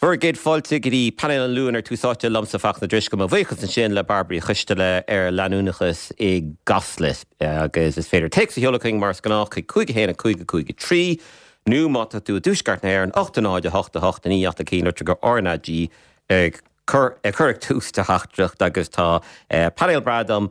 Bhur gcéad fáilte go dtí Painéal an Luain ar Tús Áite liomsa Fachtna Drisceoil. Mo bhuíochas ansin le Bairbre Uí Choisteala ar leanúnachas i gCasla. Agus is féidir téacs a sheoladh chugainn mar is gnách chuig 5 1 5 5 3 nó má tá tú i dtuaisceart na hÉireann 8 0 8 8 9 8 1 litir go RnaG ag cur ag tús do theachtaireacht agus tá painéal breá dom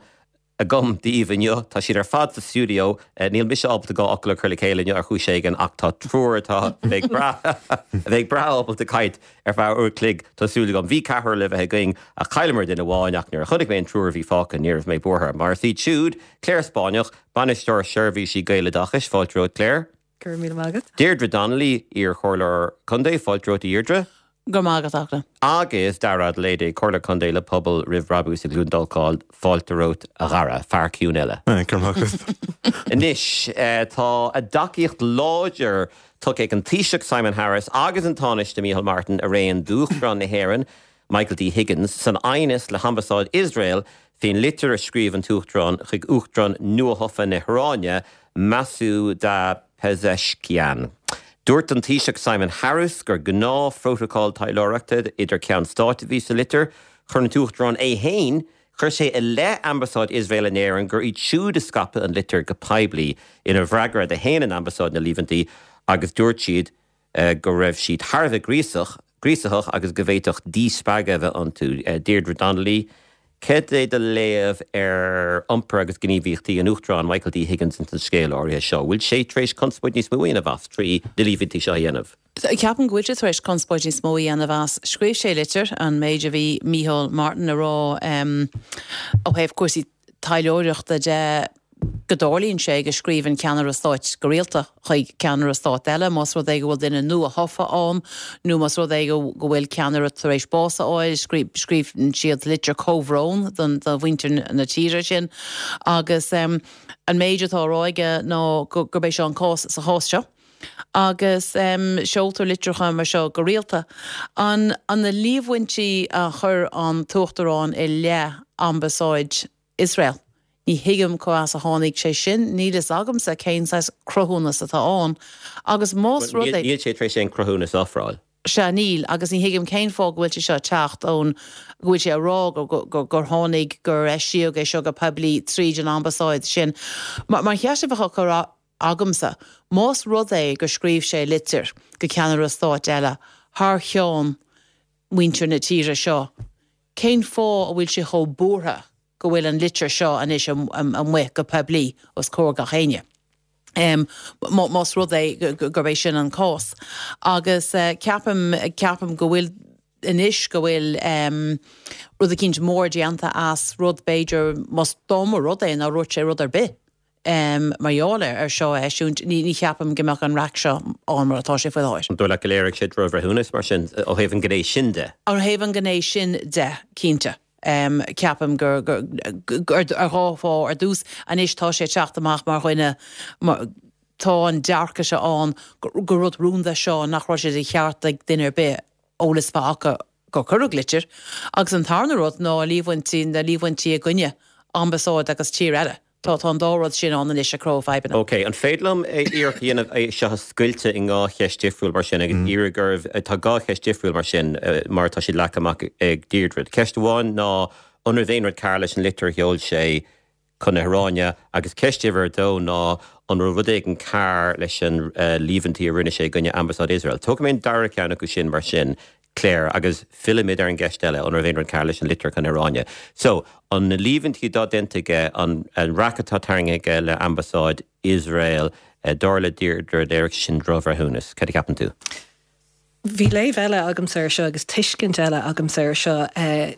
agam daoibh inniu. Tá siad ar fad sa stiúideo. Níl mise ábalta 2 fhocal a chur le chéile inniu ar chúis éigin ach tá triúr atá a bheidh breá a bheidh breá ábalta caint ar feadh uair a chloig, tá súil agam. Bhí ceathrar le bheith againn ach chailleamar duine amháin ach nuair a chonaic mé an triúr a bhí fágtha ní raibh mé buartha. Mar is iad siúd, Clare Spáinneach, Bainisteoir Seirbhísí Gaeloideachais, fáilte romhat Clare. Go raibh míle maith agat. Deirdre Donnelly, iar-chomhairleoir contae, fáilte romhat a Dheirdre. Go raibh maith agat, a Fhachtna. Agus Dara Ó Loinsigh, Comhairleoir Contae le Pobal Roimh Bhrabús i gCluain Dolcáin, fáilte romhat a Dhara, fear ciúin eile. Go raibh maith agat. Anois, tá a dtacaíocht láidir tugtha ag an Taoiseach Simon Harris agus an Tánaiste Micheál Martin araon d'Uachtarán na hÉireann, Michael D Higgins, san aighneas le hAmbasáid Iosrael faoin litir a scríobh an tUachtarán chuig Uachtarán nuathofa na hIaráine, Masoud Pezeshkian. Dúirt an Taoiseach Simon Harris gur gnáthphrótacal taidhleoireachta idir ceann stáit a bhí sa litir. Chuir an tUachtarán é féin, chuir sé i leith Ambasáid Iosrael in Éirinn gur iad siúd a scaip an litir go poiblí. Ina bhfreagra do shéan an Ambasáid na líomhaintí agus dúirt siad go raibh siad thar a bheith gríosach, gríosaitheach agus go bhféadfadh díspeagadh a bheith iontu. Deirdre Donnelly, Cad é do léamh ar iompar agus gníomhaíochtaí an Uachtaráin Michael D Higgins ins an scéal áirithe seo? Bhfuil sé tar éis conspóid níos mó a dhéanamh as trí na líomhaintí seo a dhéanamh? Ceapaim go bhfuil sé tar éis conspóid níos mó a dhéanamh as. Scríobh sé litir, an méid a bhí Micheál Martin a rá ó thaobh cúrsaí taidhleoireachta de, go dtarlaíonn sé go scríobhann ceannaire stáit go rialta chuig ceannaire stáit eile, más rud é go bhfuil duine nua-thofa ann nó más rud é go bhfuil ceannaire tar éis bás a fháil, scríobhann siad litir comhbhrón do mhuintir na tíre sin. Agus an méid atá á rá aige ná gurb é seo an cás sa chás seo. Agus seoltar litreacha mar seo go rialta. An na líomhaintí a chuir an tUachtarán i leith Ambasáid Iosrael. Ní thuigim cá as a tháinig sé sin, níl fhios agamsa cén saghas cruthúnas atá ann, agus más rud é. Níl sé tar éis aon cruthúnas a ofráil. Sea, níl, agus ní thuigim cén fáth go bhfuil sé seo ag teacht ón, go bhfuil sé ag rá gur, gur tháinig, gur eisíodh é seo go poiblí tríd an ambasáid sin. Mar an cheist a bheadh á cur agamsa, más rud é gur scríobh sé litir go ceannaire stáit eile thar cheann muintir na tíre seo, Cén fáth a bhfuil sé chomh buartha go bhfuil an litir seo anois amuigh go poiblí os comhair gach éinne? Más rud é gurb é sin an cás. Agus ceapaim, ceapaim go bhfuil anois go bhfuil rud eicínt mór déanta as rud b'fhéidir, más dá mba rud é nár dhúirt sé rud ar bith. Mar gheall air seo a eisiúint, ní cheapaim go mbeadh an raic seo ann mar atá sé faoi láthair. An dóigh leat go léirigh sé drochbhreithiúnas, mar sin, ó thaobh an ghné sin de? Ó thaobh an ghné sin de, cinnte. Ceapaim gur, ar dhá fáth. Ar dtús, anois tá sé ag teacht amach mar dhuine, tá an dearcadh seo ann gur rud rúnda seo, nach raibh sé de cheart ag duine ar bith eolas a bheith acu gur cuireadh litir, agus an tarna rud ná líomhaintí, na líomhaintí i gcoinne ambasáid agus tír eile. Tá, tá an dá rud sin ann anois ag cruthú fadhbanna. Ok, an féidir liom iarracht a dhéanamh é seo a scoilteadh i ndhá cheist difriúil mar sin agus iarraidh oraibh, tá dhá cheist difriúil mar sin mar atá siad leagtha amach ag Deirdre. Ceist amháin ná an raibh aon rud cearr leis an litir a sheol sé chun na hIaráine agus ceist uimhir a dó ná an raibh rud éigin cearr leis an líomhaintí a rinne sé i gcoinne Ambasáid Iosrael. Tógfaidh mé an dara ceann acu sin mar sin, Claire, agus fillfimid ar an gceist eile, an raibh aon rud cearr leis an litir chun na hIaráine. So, an na líomhaintí atá déanta aige, an raic atá tarraingthe aige le Ambasáid Iosrael, dar le Deirdre, léirigh sé sin drochbhreithiúnas. Cad a cheapann tú? Bhí léamh eile agamsa air seo agus tuiscint eile agamsa air seo.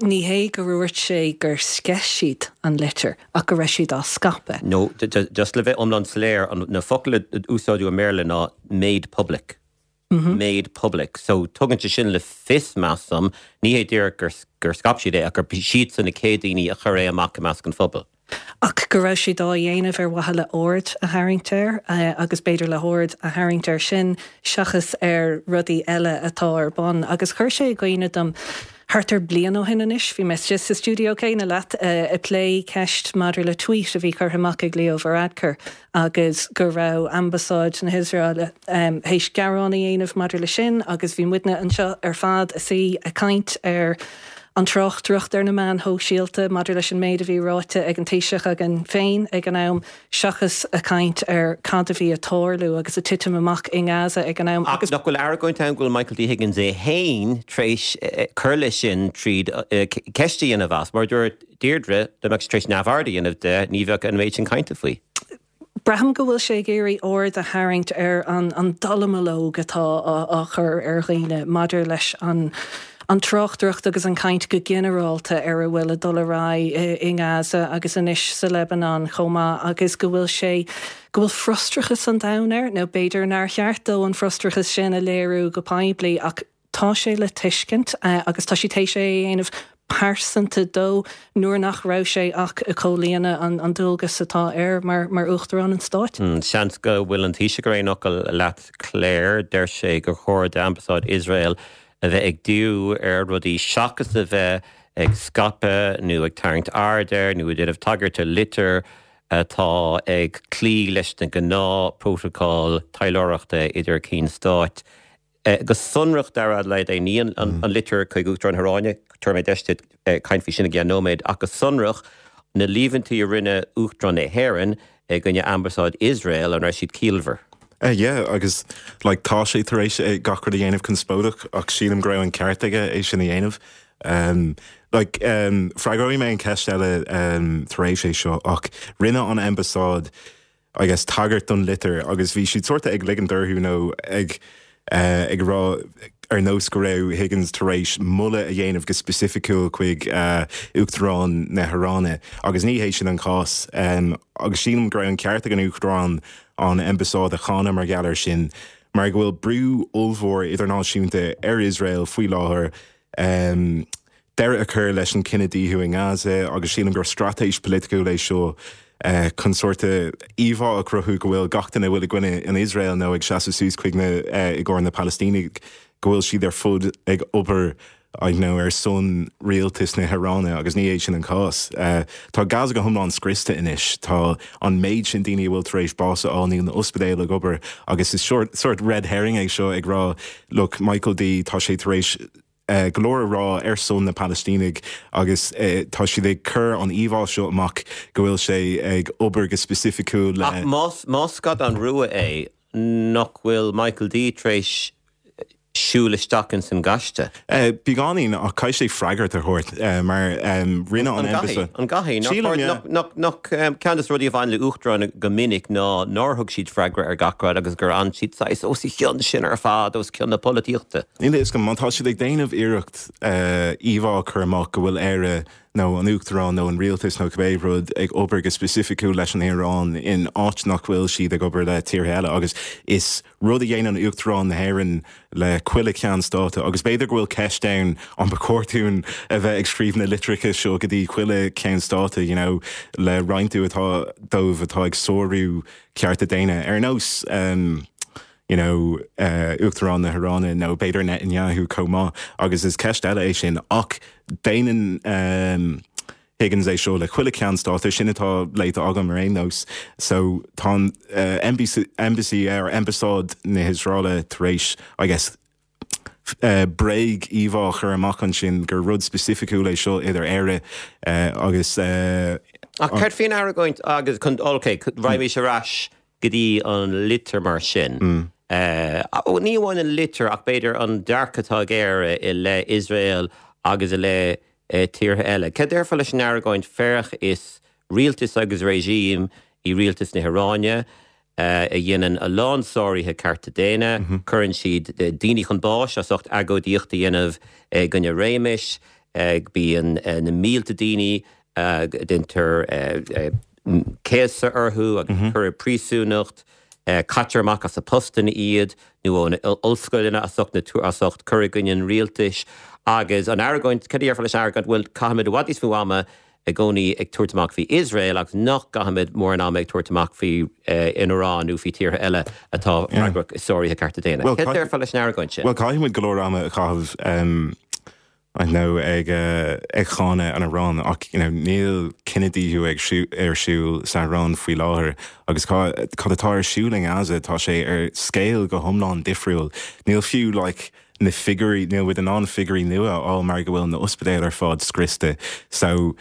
Ní hé gur dhúirt sé gur sceith siad an litir ach go raibh siad á scaipeadh. No, just le bheith iomlán soiléir, na focail a úsáideadh i mBéarla ná made public. Made public. So tugann sé sin le fios, measaim, ní hé díreach gur scaip siad é ach gur siadsan na chéad daoine a chuir é amach i measc an phobail. ach go raibh siad á dhéanamh ar mhaithe le aird a tharraingt air agus b'fhéidir le haird a tharraingt air sin seachas ar rudaí eile atá ar bun. Agus chuir sé i gcuimhne dom. Thart ar bliain ó shin anois, bhí mé istigh sa stiúideo céanna leat ag plé ceist maidir le tweet a bhí curtha amach ag Leo Varadkar agus go raibh Ambasáid na hIosraeile théis gearán a dhéanamh maidir le sin agus bhí muidne anseo ar fad ag suí ag caint ar an tráchtaireacht ar na meáin shóisialta maidir leis an méid a bhí ráite ag an Taoiseach againn féin ag an am. seachas ag caint ar cad a bhí ag tarlú agus ag titim amach i nGaza ag an am Ach agus. nach bhfuil argóint ann go bhfuil Michael D. Higgins é féin tar éis cur leis sin tríd ceist a dhéanamh as? Mar a dúirt Deirdre, dá mbeadh sé tar éis neamhaird a dhéanamh de, ní bheadh an méid sin cainte faoi. Braithim go bhfuil sé ag iarraidh aird a tharraingt ar an dallamullóg atá á chur ar dhaoine maidir leis an an tráchtaireacht agus an chaint go ginearálta ar a bhfuil ag dul ar aghaidh i nGaza agus anois sa Lebanon chomh maith agus go bhfuil sé, go bhfuil frustrachas an domhain air, nó b'fhéidir nár cheart dó an frustrachas sin a léiriú go poiblí ach tá sé le tuiscint agus tá sé théis é a dhéanamh pearsanta dó nuair nach raibh sé ach ag comhlíonadh an dualgas atá air mar Uachtarán an Stáit. Seans go bhfuil an Taoiseach ar aon fhocal leat Claire. Deir sé gur chóir d'Ambasáid Iosrael a bheith ag díriú ar rudaí seachas a bheith ag scaipeadh nó ag tarraingt aird ar nó ag déanamh tagairt do litir atá ag cloí leis na gnáth-phrótacail taidhleoireachta idir cinn stáit. Go sonrach, Dara Adelaide, ní an litir chuig Uachtarán na hIaráine, tabharfaidh mé deis duit caint faoi sin i gceann nóiméad, ach go sonrach, na líomhaintí a rinne Uachtarán na hÉireann i gcoinne Ambasáid Iosrael, an raibh siad ciallmhar? Yeah, agus like tá sé tar éis gach rud a dhéanamh conspóideach ach sílim go raibh an ceart aige é sin a dhéanamh. Um, like, um, freagróidh mé an ceist eile um, tar éis é seo ach rinne an ambasáid I guess, tagairt don litir agus bhí siad sort ag ligint orthu nó ag uh, ag rá ar nós go raibh Higgins tar éis moladh a dhéanamh go specificiúil chuig uh, Uachtarán na hIaráine agus ní hé sin an cás um, agus sílim go raibh an ceart ag an Uachtarán an ambasáid a cháineadh mar gheall air sin, mar go bhfuil brú ollmhór idirnáisiúnta ar Iosrael faoi láthair deireadh a chur leis an cinedhíothú i nGaza agus sílim gur straitéis polaitiúil é seo chun sórt íomhá a chruthú go bhfuil gach duine a bhfuil i gcoinne an Iosrael nó ag seasamh suas chuig na i gcomhair na Palaistínigh go bhfuil siad ar fud ag obair I know, ar son rialtas na hIaráine agus ní hé sin an cás. Tá Gaza go hiomlán scriosta anois. Tá an méid sin daoine a bhfuil tar éis bás a fháil, níl na ospidéil ag obair agus is sórt red herring é seo ag rá look, Michael D, tá sé tar éis go leor a rá ar son na Palaistínigh agus tá siad ag cur an íomhá seo amach go bhfuil sé ag obair go specificiúil le. Ach más scadán rua é, nach bhfuil Michael D tar éis siúl isteach ins an gaiste. Beagáinín, ach caithfidh sé freagairt a thabhairt mar rinne an embassy. An gcaithfidh? Sílim, yeah. Nach ceann de na rudaí a bhain le uachtaráin go minic ná nár thug siad freagra ar gach rud agus gur fhan siad saghas os a chionn sin ar fad, os cionn na polaitíochta. Níl a fhios agam, má tá siad ag déanamh iarracht íomhá a chur amach go bhfuil Éire nó an Uachtarán nó an rialtas nó cibé rud ag obair go specificiúil leis an Iaráin in áit nach bhfuil siad ag obair le tíortha eile agus is rud a dhéanann Uachtarán na hÉireann le chuile cheann stáit agus b'fhéidir go bhfuil ceist ann an ba chóir dúinn a bheith ag scríobh na litreacha seo go dtí chuile cheann stáit you know le roinnt atá dóibh atá ag sárú cearta daonna ar nós um, you know Uachtarán na hIaráine nó b'fhéidir Netanyahu chomh maith agus is ceist eile é sin ach déanann um, Higgins é seo le chuile cheann stáit, sin atá léite agam ar aon nós. So tá an embassy, embassy or ambasáid na hIosraeile tar éis, I guess, bréag íomhá a chur amach ansin gur rud specificiúil é seo idir Éire agus Ach céard faoin argóint agus chun, ok, raghaimís ar ais go dtí an litir mar sin. Ní amháin an litir ach b'fhéidir an dearcadh atá ag Éire i leith Iosrael agus i leith tíortha eile. Céard déarfá leis an argóint féach is rialtas agus regime í rialtas na hIaráine a dhéanann a lán sáruithe cearta daonna, cuireann siad daoine chun báis as ucht agóidíocht a dhéanamh i gcoinne réimis, bíonn na mílte daoine, déantar céasadh orthu agus cur i bpríosúnacht, caitear amach as a postanna iad nó ó na ollscoileanna as ucht na as ucht cur i gcoinne an rialtais agus an argóint, céard a déarfá leis an argóint, bhuel caithfimid i bhfad níos mó ama i gcónaí ag tabhairt amach faoi Iosrael agus nach gcaithfimid mórán ama ag tabhairt amach faoi an Iaráin nó faoi tíortha eile atá freagrach i sáruithe cearta daonna. Céard a déarfá leis an argóint sin? Bhuel caithfimid go leor ama a chaitheamh. I know ag ag cáineadh an Iaráin ach you know níl cinedhíothú ag ar siúl san Iaráin faoi láthair agus cad atá ar siúl i nGaza tá sé ar scale go hiomlán difriúil. Níl fiú like na figiúirí, níl muid in ann figiúirí nua a fháil mar go bhfuil na ospidéil ar fad scriosta so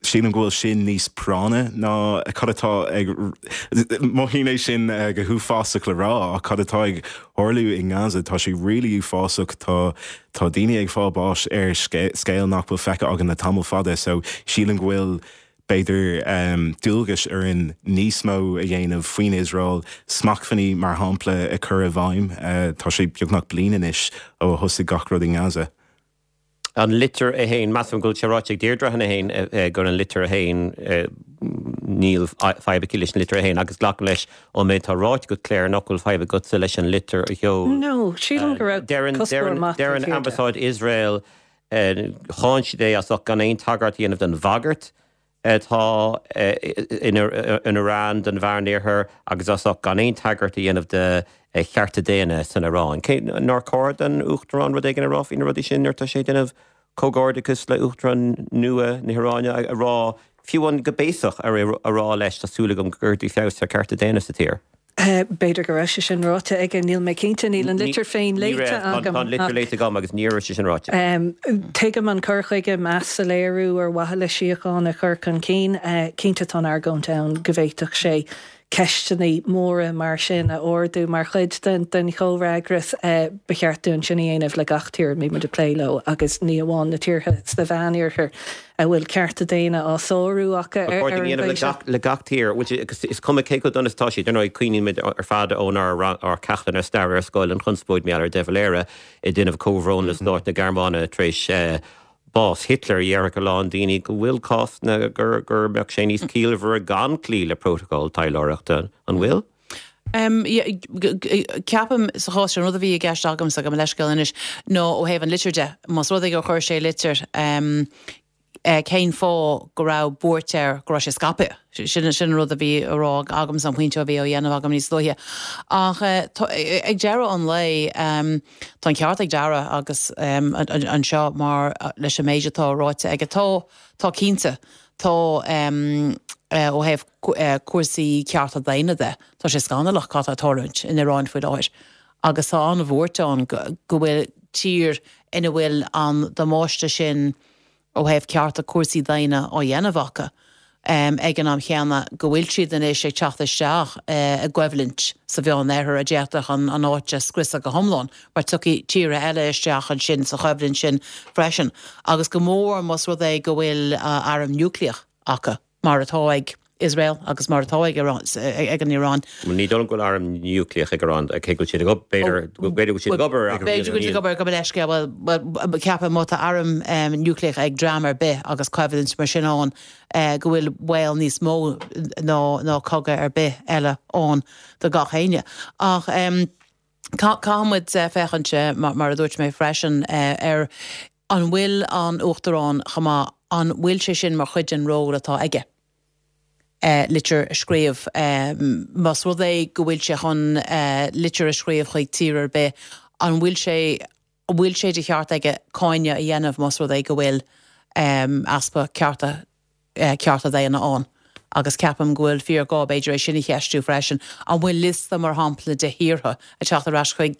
Sílim go bhfuil sin níos práinne ná cad atá ag, mothaím é sin go huafásach le rá, ach cad atá ag tharlú i nGaza, tá sé really uafásach, tá tá daoine ag fáil báis ar scale nach bhfuil feicthe againn le tamall fada, so sílim go bhfuil b'fhéidir dualgas orainn níos mó a dhéanamh faoin Iosrael, smachtbhannaí mar shampla a chur i bhfeidhm, tá sé beagnach bliain anois ó a thosaigh gach rud i nGaza. An litir é féin, measaim go bhfuil sé ráite ag Deirdre cheana féin gur an litir é féin, níl fadhb aici leis an litir é féin agus glacaim leis ón méid atá ráite agat Claire nach bhfuil fadhb agatsa leis an litir a sheol. No, sílim go raibh cuspóir maith taobh thiar de. Deireann Ambasáid Iosrael, cháin siad é as ucht gan aon tagairt a dhéanamh don bhagairt atá in Iran don Mheánoirthear agus as ucht gan aon tagairt a dhéanamh do chearta daonna san Iaráin. Cé nár chóir don Uachtarán rud éigin a rá faoi na rudaí sin nuair atá sé ag déanamh comhghairdeachas le Uachtarán nua na hIaráine a rá, fiú amháin go béasach, a rá leis, tá súil agam go gcuirfidh tú feabhas ar chearta daonna sa tír. B'fhéidir go raibh sé sin ráite aige, níl mé cinnte, níl an litir féin léite agam. Tá an litir léite agam agus ní raibh sé sin ráite. Tuigim an cur chuige, meas a léiriú ar mhaithe le síocháin a chur chun cinn. Cinnte tá an argóint ann go bhféadfadh sé ceisteanna móra mar sin a ardú mar chuid den chomhfhreagras. Ba cheart dúinn sin a dhéanamh le gach tír a mbíonn muid ag plé leo agus ní amháin na tíortha sna Mheánoirthear. a bhfuil cearta daonna á sárú acu ar an gcaoi seo. Le gach tír, is cuma cé chomh dona is atá siad. Ar ndóigh, cuimhnímid ar fad ónár ceachtanna staire ar scoil an chonspóid mar gheall ar De Valera ag déanamh comhbhrón le stát na Gearmáine tar éis bás Hitler. Déarfadh a lán daoine go bhfuil cásanna go mbeadh sé níos ciallmhaire gan cloí le prótacal taidhleoireachta. An bhfuil? Ceapaim, sa chás seo, an rud a bhí i gceist agamsa, gabh mo leithscéal anois, ná ó thaobh an litir de. Más rud é gur chuir sé litir, cén fáth go raibh buairt air go raibh sé scaipthe? Sin sin an rud a bhí á rá agamsa, an pointe a bhí á dhéanamh agam níos luaithe. Ach ag deireadh an lae, tá an ceart ag Dara agus anseo mar leis an méid atá ráite aige, tá, tá cinnte, tá ó thaobh cúrsaí cearta daonna de, tá sé scannalach cad tá ag tarlúint in Iran faoi láthair agus tá an-bhuairt ann go bhfuil tír ina bhfuil an damáiste sin ó thaobh cearta cúrsaí daonna á dhéanamh acu ag an am chéanna go bhfuil siad anois ag teacht isteach i gcoimhlint sa Mheánoirthear a d'fhéadfadh an áit a scriosadh go hiomlán mar tiocfaidh tíortha eile isteach ansin sa choimhlint sin freisin agus go mór más rud é go bhfuil arm núicléach acu. mar atá ag Iosrael agus mar atá ag an Iaráin. Ní dóigh liom go bhfuil arm núicléach ag Iran, cé go bhfuil siad ag obair, b'fhéidir go bhfuil siad ag obair ar B'fhéidir go bhfuil siad ag obair, gabh mo leithscéal, bhuel, ceapaim má tá arm núicléach ag dream ar bith agus coimhlint mar sin ann, go bhfuil baol níos mó ná cogadh ar bith eile ann do gach éinne. Ach caithfidh muid féachaint, mar a dúirt mé freisin, ar An bhfuil an Uachtarán chomh maith, an bhfuil sé sin mar chuid den ról atá aige, litir a scríobh? Más rud é go bhfuil sé chun litir a scríobh chuig tír ar bith, an bhfuil sé, an bhfuil sé de cheart aige cáineadh a dhéanamh más rud é go bhfuil easpa cearta cearta daonna ann agus ceapaim go bhfuil fíorghá, b'fhéidir, é sin a cheistiú freisin. An bhfuil liosta, mar shampla, de thíortha, ag teacht ar ais chuig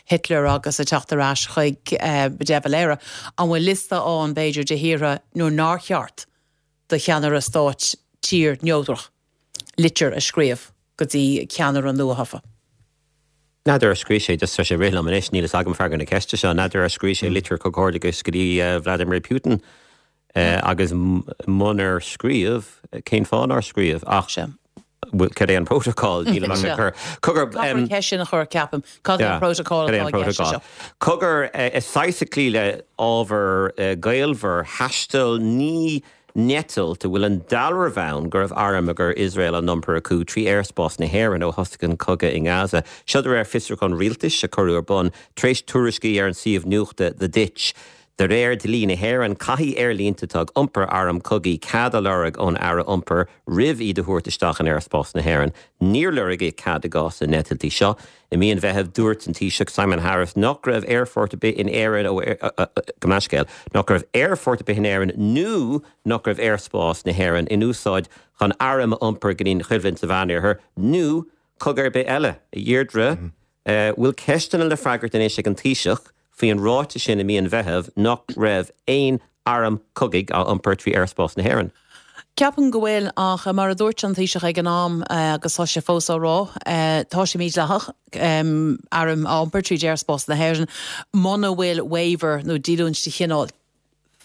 Hitler agus ag teacht ar ais chuig De Valera, an bhfuil liosta ann, b'fhéidir, de thíortha nuair nár cheart do cheannaire stáit tír neodrach litir a scríobh go dtí ceannaire nuathofa? N'fheadar ar scríobh sé, just tá sé ag rith liom anois, níl fhios agam freagra na ceiste seo, n'fheadar ar scríobh sé litir comhghairdeachais go dtí Vladimir Putin? Agus munar scríobh, cén fáth nár scríobh? Ach cad é an prótacal? Nílim ach ag cur. Cogar. Caithfear an cheist sin a chur, ceapaim. Cad é an prótacal atá i gceist anseo? Cogar, is saghas ag cloí le ábhar gaolmhar, thaistil 9 n-eitilt a bhfuil an dealramh ann go raibh airm a chuir Iosrael á n-iompar acu trí aerspás na hÉireann ó thosaigh an cogadh i nGaza. Seo de réir fiosrúchán rialtais a cuireadh ar bun tar éis tuairiscí ar an suíomh nuachta The Ditch. De réir dlí na hÉireann, caithfidh aerlínte atá ag iompar arm cogaidh cead a lorg ón Aire Iompair roimh iad a thabhairt isteach in aerspás na hÉireann. Níor lorgaíodh cead i gcás na n-eitiltí seo. I mí an Mheithimh, dúirt an Taoiseach Simon Harris nach raibh aerfort ar bith in Éirinn ó, gabh mo leithscéal, nach raibh aerfort ar bith in Éirinn nó nach raibh aerspás na hÉireann in úsáid chun airm a iompar go dtí an choimhlint sa Mheánoirthear nó cogadh ar bith eile. A Dheirdre, bhfuil ceisteanna le freagairt anois ag an Taoiseach faoi an ráiteas sin i mí an Mheithimh nach raibh aon arm cogaidh á iompar trí aerspás na hÉireann? Ceapaim go bhfuil, ach mar a dúirt an Taoiseach ag an am, agus tá sé fós á rá, tá sé mídhleathach airm a iompar tríd aerspás na hÉireann muna bhfuil waiver nó díolúint de chineál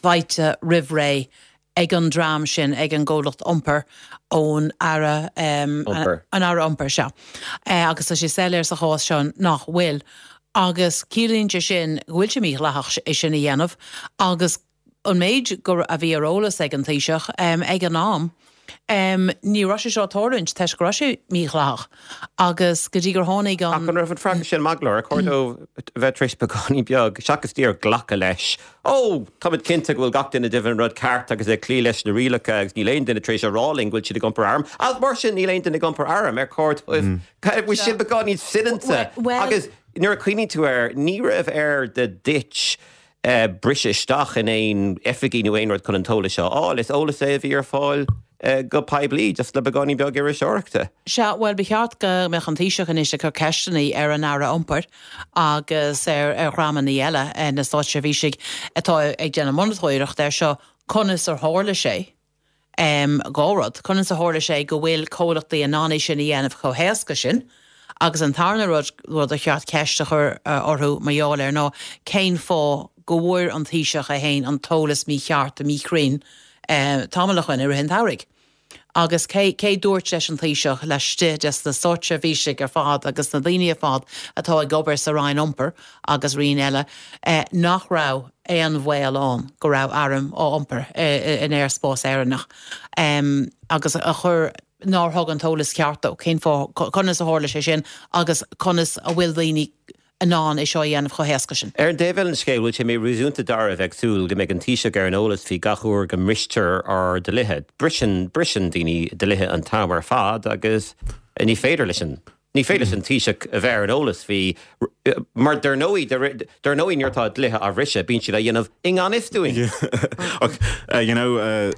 faighte roimh ré ag an dream sin, ag an gcomhlacht iompair, ón Aire Iompair. An Aire Iompair, sea. Agus tá sé soiléir sa chás seo nach bhfuil. Agus ciallaíonn sé sin go bhfuil sé mídhleathach é sin a dhéanamh agus an méid go a bhí ar eolas ag an Taoiseach ag an am, ní raibh sé seo ag tarlúint toisc go raibh sé mídhleathach agus go dtí gur tháinig an. Ach an raibh an freagra sin maith go leor? Ar chóir dó a bheith tar éis beagáinín beag, seachas díreach glacadh leis, Ó, táimid cinnte go bhfuil gach duine ag déanamh an rud ceart agus ag cloí leis na rialacha agus níl aon duine tar éis a rá linn go bhfuil siad ag iompar arm, agus mar sin níl aon duine ag iompar arm. Ar chóir dóibh? Bhfuil sin beagáinín soineanta? Agus nuair a chuimhníonn tú air, ní raibh ar The Ditch briseadh isteach in aon oifigí nó aon rud chun an t-eolas seo a fháil. Is eolas é a bhí ar fáil go poiblí, just le beagáinín beag iriseoireachta. Sea, bhuel, ba cheart go mbeadh an Taoiseach anois ag cur ceisteanna ar an Aire Iompair agus ar dhreamanna eile, na státseirbhísigh atá ag déanamh monatóireacht air seo, conas ar tharla sé. 2 rud, conas a tharla sé go bhfuil comhlachtaí in ann é sin a dhéanamh chomh héasca sin? Agus an tarna rud, rud ar cheart ceist a chur orthu mar gheall air ná cén fáth go bhfuair an Taoiseach é féin an t-eolas mícheart, míchruinn tamall ó shoin i rith an tsamhraidh? Agus cé, cé dúirt leis an Taoiseach, laistigh des na státseirbhísigh ar fad agus na daoine ar fad atá ag obair sa Roinn Iompair agus roinn eile, nach raibh aon bhaol ann go raibh airm á iompar in aerspás Éireannach agus a chuir, nár thug an t-eolas ceart dó, cén fáth, conas a tharla sé sin agus conas a bhfuil daoine in ann é seo a dhéanamh chomh héasca sin. Ar an dtaobh eile den scéal, bhfuil sé míréasúnta dáiríre a bheith ag súil go mbeidh an Taoiseach ar an eolas faoi gach uair go mbristear ár dlíthe? Briseann, briseann daoine dlíthe an t-am ar fad agus ní féidir leis an. Ní féidir leis an Taoiseach a bheith ar an eolas faoi, mar dar ndóigh, dar ndóigh nuair atá dlíthe á bhriseadh, bíonn siad á dhéanamh i ngan fhios dúinn. Ach, you know,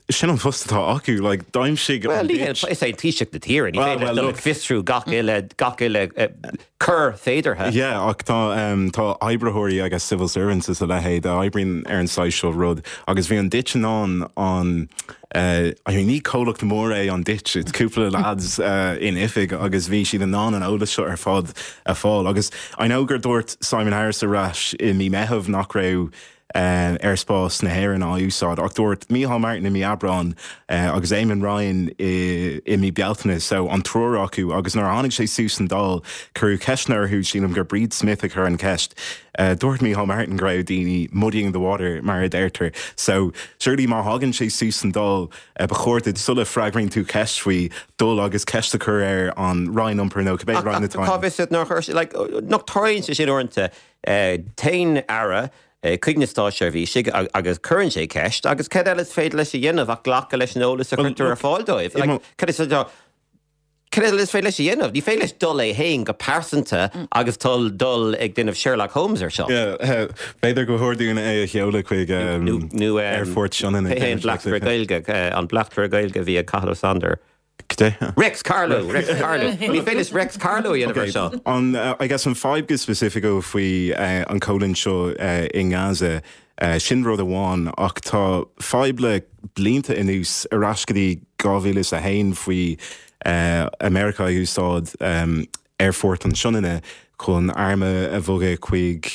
sin an post atá acu, like, d'aimsigh an Well, is é an Taoiseach na tíre, ní féidir leis dul ag fiosrú gach uile, gach uile coir féideartha. Yeah, ach tá, tá oibritheoirí agus civil servants is a leithéid a oibríonn ar an saghas seo rud agus bhí an Ditch in ann an, I mean ní comhlacht mór é an Ditch, it's cúpla lads in oifig agus bhí siad in ann an eolas seo ar fad a fáil. Agus I know gur dúirt Simon Harris ar ais i mí Meitheamh nach raibh aerspás na hÉireann á úsáid ach dúirt Micheál Martin i mí Aibreáin agus Eamon Ryan i mí Bealtaine so an triúr acu agus nuair a tháinig sé suas san Dáil cuireadh ceisteanna orthu, sílim gur Bríd Smith a chuir an cheist. Dúirt Micheál Martin go raibh daoine muddying the water mar a deirtear. So, surely má thagann sé suas san Dáil, ba chóir duit sula freagraíonn tú ceist faoi, dul agus ceist a chur ar an Roinn Iompair nó cibé roinn atá ann. Cá bhfios duit nár chuir sé, like, nach dtarlaíonn sé sin uaireanta, téann Aire chuig na státseirbhísigh agus cuireann sé ceist agus cad eile is féidir leis a dhéanamh ach glacadh leis an eolas a chuirtear ar fáil dóibh? Like, cad is féidir Cad eile is féidir leis a dhéanamh? Ní féidir leis dul é féin go pearsanta agus dul dul ag déanamh Sherlock Holmes ar seo. B'fhéidir gur chóir dúinn é a sheoladh chuig Aerfort Sionainn. Cé hé an bleachtaire Gaeilge, an bleachtaire Gaeilge a bhí ag Cathal Ó Sándair? Cad é? Rex Carlow! Rex Carlow! Ní féidir leis Rex Carlow a dhéanamh ar seo. An, I guess an fadhb go specific faoi an choimhlint seo i nGaza, Sin rud amháin, ach tá fadhb le blianta anuas, ar ais go dtí 2001 faoi America ag úsáid aerfort an Sionainne chun airm a bhogadh chuig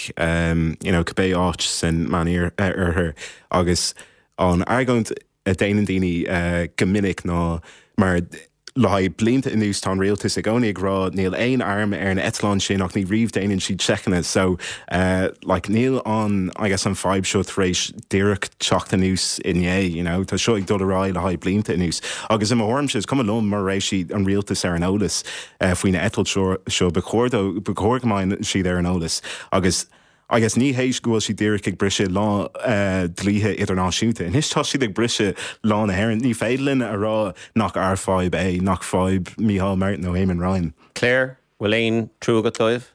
you know cibé áit san Meánoirthear agus an argóint a déanann daoine go minic ná mar Le haghaidh blianta anuas tá an rialtas i gcónaí ag rá níl aon arm ar an eitleán sin ach ní riamh déanann siad seiceanna so like níl an I guess an fadhb seo tar éis díreach teacht anuas inné you know tá seo ag dul ar aghaidh le haghaidh blianta anuas agus i mo thuairimse is cuma liom mura raibh siad an rialtas ar an eolas faoi na eitilt seo ba chóir dó ba chóir go mbeadh siad ar an eolas agus. I guess ní hé go bhfuil siad díreach ag briseadh lá dlíthe idirnáisiúnta. Anois tá siad ag briseadh lá na hÉireann. Ní féidir linn a rá nach ár fadhb é, nach fadhb Micheál Martin nó Eamon Ryan. Claire, bhfuil aon trua agat dóibh?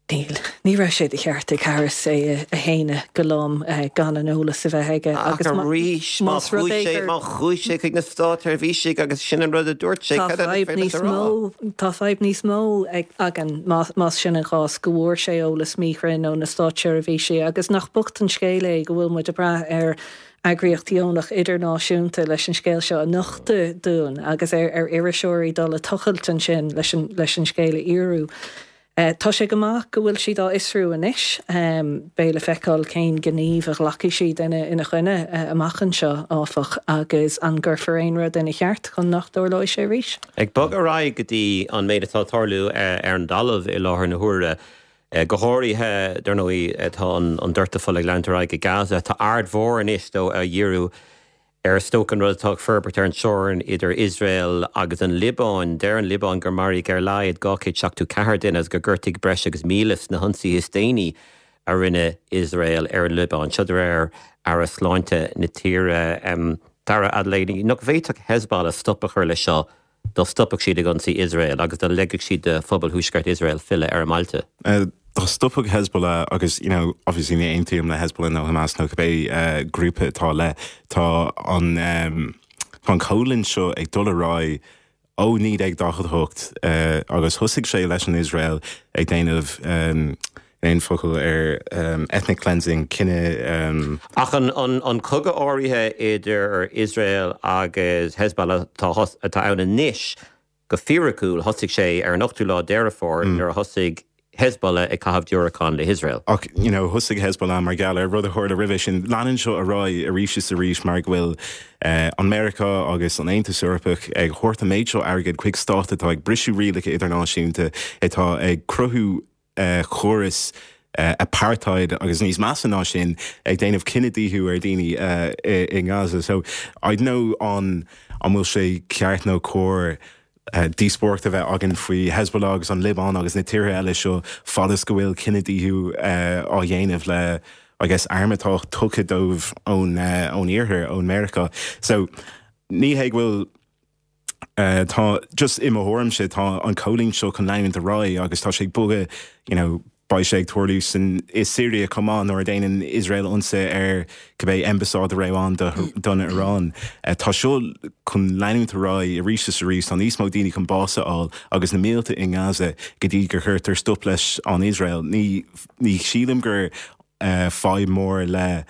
Níl. Ní raibh sé de cheart ag Harris é a shéanadh go lom gan an eolas a bheith aige Ach agus arís, má más rud chuaigh é sé, gur má chuaigh sé chuig na státseirbhísigh agus sin an rud a dúirt sé, Tá cad eile is fadhb féidir leat níos a rá? mó, tá fadhb níos mó ag, againn má, más sin an chás, go bhfuair sé eolas míchruinn ó na státseirbhísigh agus nach bocht an scéal é go bhfuil muid ag brath ar eagraíocht dheonach idirnáisiúnta leis an scéal seo a nochtadh dúinn agus ar, ar iriseoirí dul ag tochailt ansin leis an, leis an scéal a fhíorú. Tá sé go maith go bhfuil siad á fhiosrú anois. Beidh le feiceáil cén gníomh a ghlacfaidh siad ina choinne amach anseo, áfach, agus an gcuirfear aon rud ina cheart chun nach dtarlóidh sé arís. Ag bogadh ar aghaidh go dtí an méid atá ag tarlú ar an dtalamh i láthair na huaire, go háirithe, dar ndóigh, tá an doirteadh fola ag leanúint ar aghaidh i Gaza. Tá aird mhór anois, dó, á dhíriú Ar is dócha an rud atá ag forbairt ar an teorainn idir Iosrael agus an Liobáin. Deir an Liobáin gur maraíodh ar a laghad 274 duine agus gur gortaíodh breis agus 1,000 sna hionsaithe is déanaí a rinne Iosrael ar an Liobáin. Seo de réir Aire Sláinte na tíre. Dara Adelaide, nach bhféadfadh Hezbollah stop a chur leis seo dá stopfadh siad ag ionsaí Iosrael agus dá leigfeadh siad do phobal thuaisceart Iosrael filleadh ar a mbailte. Dá stopfadh Hezbollah, agus you know obviously ní aontaím le Hezbollah nó Hamas nó cibé grúpa atá le, tá an tá an choimhlint seo ag dul ar aghaidh ó 1948 agus thosaigh sé leis an Iosrael ag déanamh aon focal ar ethnic cleansing, cine. Ach an cogadh áirithe idir Iosrael agus Hezbollah atá ann anois, go fíriciúil, thosaigh sé ar an ochtú lá Deireadh Fómhair nuair a thosaigh Hezbollah ag caitheamh diúracán le hIosrael. Ach, you know, thosaigh Hezbollah mar gheall ar rud a tharla roimhe sin. Leanann seo ar aghaidh arís is arís mar go bhfuil an Meiriceá agus an Aontas Eorpach ag thabhairt an méid seo airgid chuig stát atá ag briseadh rialacha idirnáisiúnta, atá ag cruthú córas apartheid agus níos measa ná sin, ag déanamh cinedhíothú ar dhaoine i nGaza. So, I don't know an an bhfuil sé ceart nó cóir díospóireacht a bheith againn faoi Hezbollah agus an Liobáin agus na tíortha eile seo fad is go bhfuil cinedhíothú á dhéanamh le I guess airm atá tugtha dóibh ón ón iarthar, ón Meiriceá. So, ní hé go bhfuil Tá, just i mo thuairimse, tá an choimhlint seo chun leanúint ar aghaidh agus tá sé ag bogadh, you know, beidh sé ag tarlú san, i Syria chomh maith nuair a déanann Iosrael ionsaí ar cibé ambasáid a raibh ann do, don Iaráin. Tá seo chun leanúint ar aghaidh arís is arís, tá níos mó daoine chun bás a fháil agus na mílte i nGaza go dtí gur chuirtear stop leis an Iosrael. Ní, ní shílim gur fadhb mór le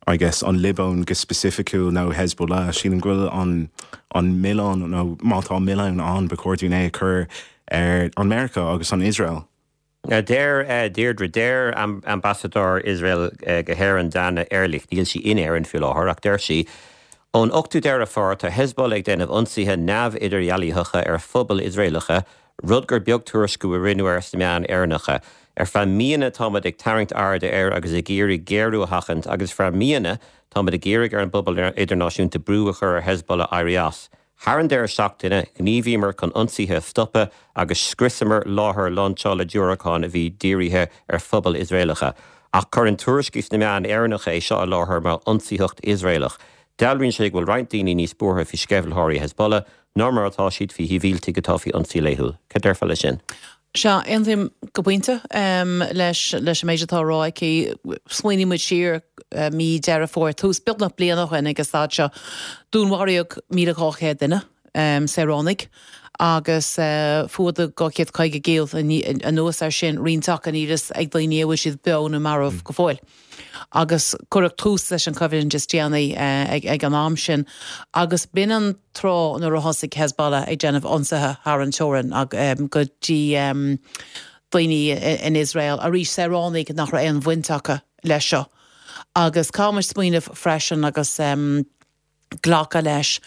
I guess, an Liobáin go specificiúil nó Hezbollah. Sílim go bhfuil an an milleán, nó má tá milleán ann, ba chóir dúinn é a chur ar an Meiriceá agus an Iosrael. Deir Deirdre, deir ambasadóir Iosrael go hÉirinn, Dana Erlich, níl sí in Éirinn faoi láthair, ach deir sí, Ón 8ú Deireadh Fómhair tá Hezbollah ag déanamh ionsaithe neamh-idirdhealaitheacha ar phobail Iosraelacha, rud gur beag tuairisciú a rinneadh air sna meáin Éireannacha. Ar feadh míonna táimid ag tarraingt airde air agus ag iarraidh géarú a sheachaint agus ar feadh míonna táimid ag iarraidh ar an bpobal idirnáisiúnta brú a chur ar Hezbollah éirí as. Thar an deireadh seachtaine, ghníomhaíomar chun ionsaithe a stopadh agus scriosamar láthair lainseála diúracán a bhí dírithe ar phobail Iosraelacha. Ach cuireann tuairiscí sna meáin Éireannacha é seo i láthair mar ionsaitheacht Iosraelach. Dealraíonn sé go bhfuil roinnt daoine níos buartha faoi sceimhlitheoirí Hezbollah ná mar atá siad faoi shibhialtaigh atá faoi ionsaí laethúil. Cad déarfá leis sin? Sea, aontaím go pointe leis leis an méid atá á rá aici. Smaoiníonn muid siar mí Deireadh Fómhair, tús beagnach bliana ó shin ag an staid seo. Dúnmharaíodh 1,200 duine, saoránaigh, agus fuadaíodh 250 giall anuas air sin, roinnt acu níl fhios ag daoine an bhfuil siad beo nó marbh go fóill. Agus cuireadh tús leis an choimhlint is déanaí ag an am sin agus b'in an tráth nuair a thosaigh Hezbollah ag déanamh ionsaithe thar an teorainn go dtí daoine in Iosrael, arís saoránaigh nach raibh aon bhaint acu leis seo. Agus caithfidh muid smaoineamh freisin agus glacadh leis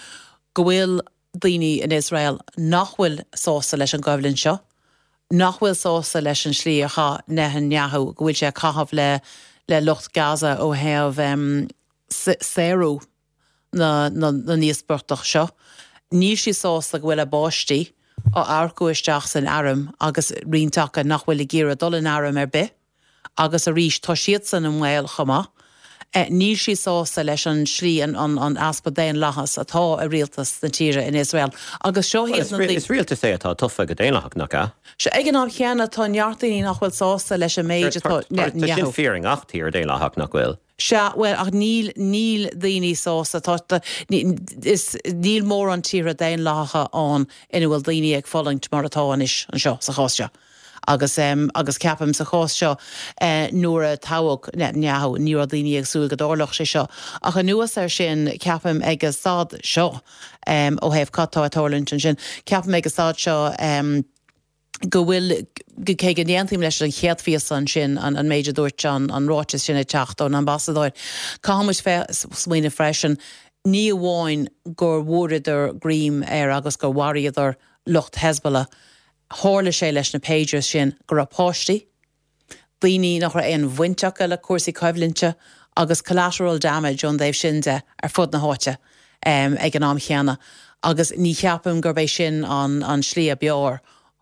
go bhfuil daoine in Iosrael nach bhfuil sásta leis an gcoimhlint seo, nach bhfuil sásta leis an slí a chaith Netanyahu, go bhfuil sé ag caitheamh le le lucht Gaza ó thaobh saoradh na na n-íospartach seo. Níl siad sásta go bhfuil a bpáistí á earcú isteach san airm agus roinnt acu nach bhfuil ag iarraidh dul in arm ar bith. Agus arís, tá siadsan i mbaol chomh maith. Níl siad sásta leis an slí, an easpa daonlathas atá i rialtas na tíre in Iosrael. Agus seo iad na daoine. Is rialtas é atá tofa go daonlathach, nach ea? Sea, ag an am chéanna, tá neart daoine nach bhfuil sásta leis an méid atá. Tá sin fíor i ngach tír daonlathach, nach bhfuil? Sea, bhuel, ach níl, níl daoine sásta, tá, tá, is, níl mórán tíortha daonlathacha ann ina bhfuil daoine ag fulaingt mar atá anois anseo, sa chás seo. Agus, agus ceapaim sa chás seo, nuair a toghadh Netanyahu, ní raibh daoine ag súil go dtarlódh sé seo. Ach anuas air sin, ceapaim ag an staid seo, ó thaobh cad tá ag tarlúint ansin, ceapaim ag an staid seo, go bhfuil, cé go n-aontaím leis an chéad phíosa ansin, an méid a dúirt an, an ráiteas sin ag teacht ón ambasadóir, caithfidh muid smaoineamh freisin, ní amháin gur bhfuaireadar greim ar agus gur mharaíodar lucht Hezbollah, tharla sé leis na pagers sin go raibh páistí, daoine nach raibh aon bhaint acu le cúrsaí coimhlinte agus collateral damage ón dtaobh sin de ar fud na háite ag an am chéanna agus ní cheapaim gurb é sin an slí ab fhearr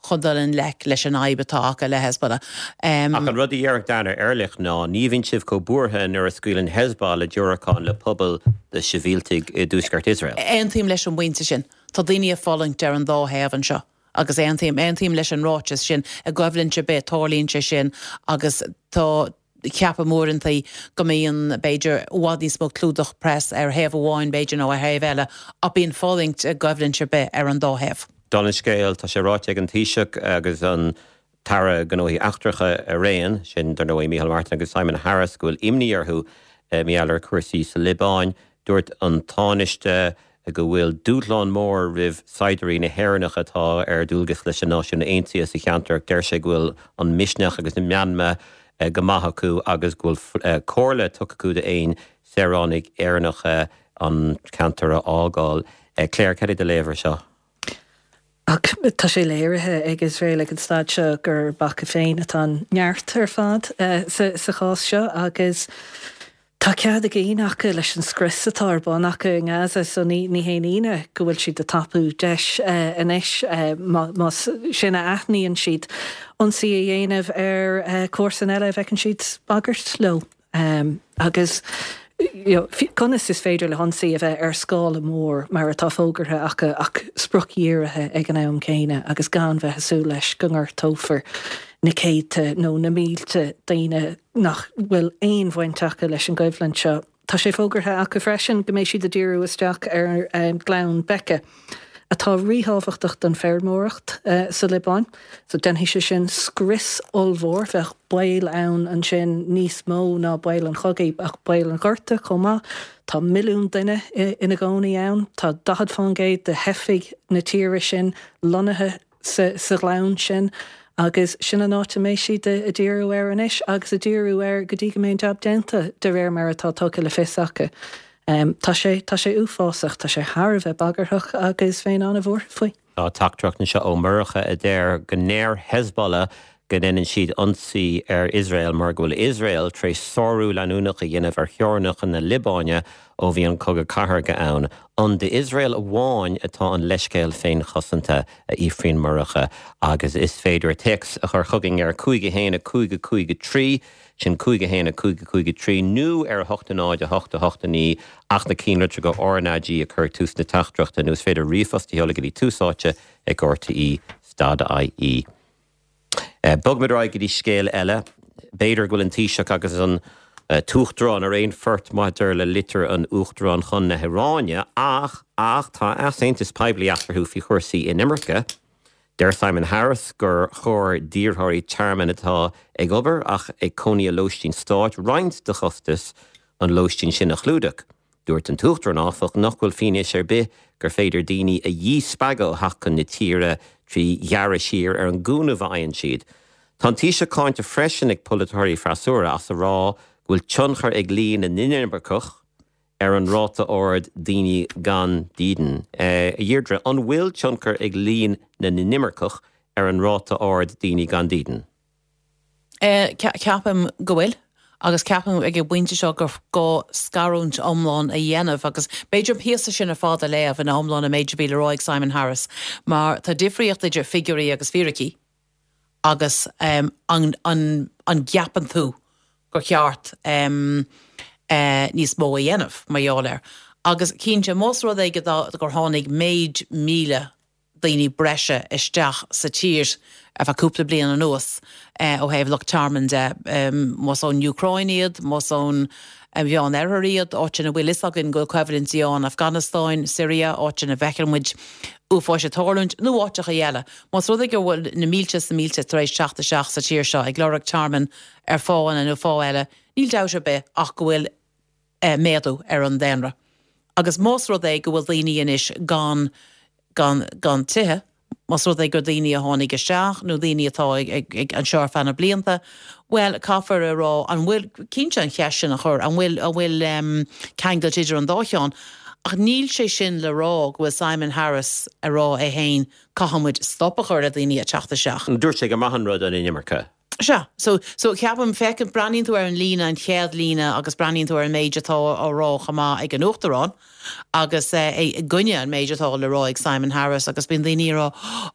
chun dul i ngleic leis an fhadhb atá acu le Hezbollah. Ach an rud a déarfadh Dana Erlich ná ní bhíonn sibh chomh buartha nuair a scaoileann Hezbollah diúracáin le pobail de shibhialtaigh i dtuaisceart Iosrael. Aontaím leis an bpointe sin. Tá daoine ag fulaingt ar an dá thaobh anseo. Agus aontaím, aontaím leis an ráiteas sin, i gcoimhlint ar bith tarlaíonn sé sin agus tá, ceapaim uaireantaí go mbíonn, b'fhéidir, i bhfad níos mó clúdach press ar thaobh amháin b'fhéidir nó ar thaobh eile ach bíonn fulaingt i gcoimhlint ar bith ar an dá thaobh. Dála an scéil, tá sé ráite ag an Taoiseach agus an tAire Gnóthaí Eachtracha araon, sin dar ndóigh Micheál Martin agus Simon Harris, go bhfuil imní orthu mar gheall ar chúrsaí sa Liobáin. Dúirt an Tánaiste go bhfuil dúshlán mór roimh saighdiúirí na hÉireannacha atá ar dualgas leis na Náisiúin Aontaithe sa cheantar ach deir sé go bhfuil an misneach agus an meanma go maith acu agus go bhfuil comhairle tugtha acu d'aon saoránaigh Éireannacha an ceantar a fhágáil. Claire, cad é do léamh ar seo? Ach tá sé léirithe ag Iosrael ag an staid seo gurb acu féin atá an neart ar fad sa chás seo agus tá cead a gcinn acu leis an scrios atá ar bun acu i nGaza so ní haon ionadh go bhfuil siad ag tapú deis anois, más sin a aithníonn siad, ionsaí a dhéanamh ar comharsan eile a bhfeiceann siad bagairt leo. Agus conas is féidir le hionsaí a bheith ar scála mór mar atá fógartha acu ach spriocdhírithe ag an am céanna agus gan bheith ag súil leis go ngortófar na céadta nó na mílte daoine nach bhfuil aon bhaint acu leis an gcoimhlint seo. Tá sé fógartha acu freisin go mbeidh siad ag díriú isteach ar Ghleann Bekaa, atá ríthábhachtach don feirmeoireacht sa Liobáin. So déanfaidh sé sin scrios ollmhór. Bheadh baol ann ansin níos mó ná baol an chogaidh ach baol an ghorta chomh maith. Tá milliún duine ina gcónaí ann. Tá 40 fán gcéad de theifigh na tíre sin lonnaithe sa ghleann sin agus sin an áit a mbeidh siad ag díriú air anois agus ag díriú air go dtí go mbeidh an jab déanta de réir mar atá tugtha le fios acu. Tá sé, tá sé uafásach, tá sé thar a bheith bagarthach agus bheinn an-bhuartha faoi. Tá teachtaireacht anseo ó Mhurcha a deir go ndeir Hezbollah go ndéanann siad ionsaí ar Iosrael mar go bhfuil Iosrael tar éis sárú leanúnach a dhéanamh ar theorainneacha na Liobáine ó bhí an cogadh cathartha ann. An d'Iosrael amháin atá an leithscéal féinchosanta, a fhiafraíonn Murcha, agus is féidir téacs a chur chugainn ar 5 1 5 5 3, sin 5 1 5 5 3, nó ar 8 0 8 8 9 ach na cinnlitreacha RnaG a chur ag tús na teachtaireachta, nó is féidir ríomhphost a sheoladh go dtí tús áite ag rte dot ie. Bogfaimid ar aghaidh go dtí scéal eile. B'fhéidir go bhfuil an Taoiseach agus an tUachtarán ar aon phort maidir le litir an Uachtaráin chun na hIaráine ach, ach tá easaontas poiblí eatarthu faoi chúrsaí inimirce. Deir Simon Harris gur chóir d'iarrthóirí tearmainn atá ag obair ach ag cónaí i lóistín stáit roinnt de chostas an lóistín sin a chlúdach. Dúirt an tUachtarán, áfach, nach bhfuil fianaise ar bith gur féidir daoine a dhíspeagadh ó theacht chun na tíre trí ghearradh siar ar an gcúnamh a fhaigheann siad. Tá an Taoiseach cáinte freisin ag polaiteoirí freasúra as a rá go bhfuil tionchar ag líon na n-inimirceach ar an ráta ard daoine gan dídean. A Dheirdre, an bhfuil tionchar ag líon na n-inimirceach ar an ráta ard daoine gan dídean? Ceapaim go bhfuil, agus ceapaim ag an bpointe seo gur gá scarúint iomlán a dhéanamh agus b'fhéidir an píosa sin ar fad a léamh ina iomlán an méid a bhí le rá ag Simon Harris mar tá difríocht idir figiúirí agus fíricí agus an an gceapann tú. gur cheart níos mó a dhéanamh mar gheall air. Agus cinnte, más rud é gur tháinig méid 1,000 daoine breise isteach sa tír ar feadh cúpla bliain anuas ó thaobh lucht tearmainn de, más ón Úcráin iad, más ón Mheán Oirthear iad, áit ina bhfuil fhios againn go bhfuil coimhlintí ann, Afganastáin, Siria, áit ina bhfeiceann muid uafáis ag tarlúint, nó áiteacha eile. Más rud é go bhfuil na mílte is na mílte tar éis teacht isteach sa tír seo ag lorg tearmainn ar fáthanna nó fáth eile, níl dabht ar bith ach go bhfuil méadú ar an daonra. Agus más rud é go bhfuil daoine anois gan, gan, gan tithe, más rud é gur daoine a tháinig isteach nó daoine atá ag, ag, ag anseo ar feadh na blianta, bhuel, caithfear a rá, an bhfuil, cinnte an cheist sin a chur, an bhfuil, an bhfuil ceangailt idir an dá cheann? Ach níl sé sin le rá go bhfuil Simon Harris a rá é féin, caithfidh muid stop a chur le daoine ag teacht isteach. Dúirt sé gur maith an rud an inimirce. Sea. So, so ceapaim, feiceann, breathnaíonn tú ar an líne, an chéad líne agus breathnaíonn tú ar an méid atá á rá chomh maith ag an Uachtarán agus é i gcoinne an méid atá le rá ag Simon Harris agus bíonn daoine ag rá,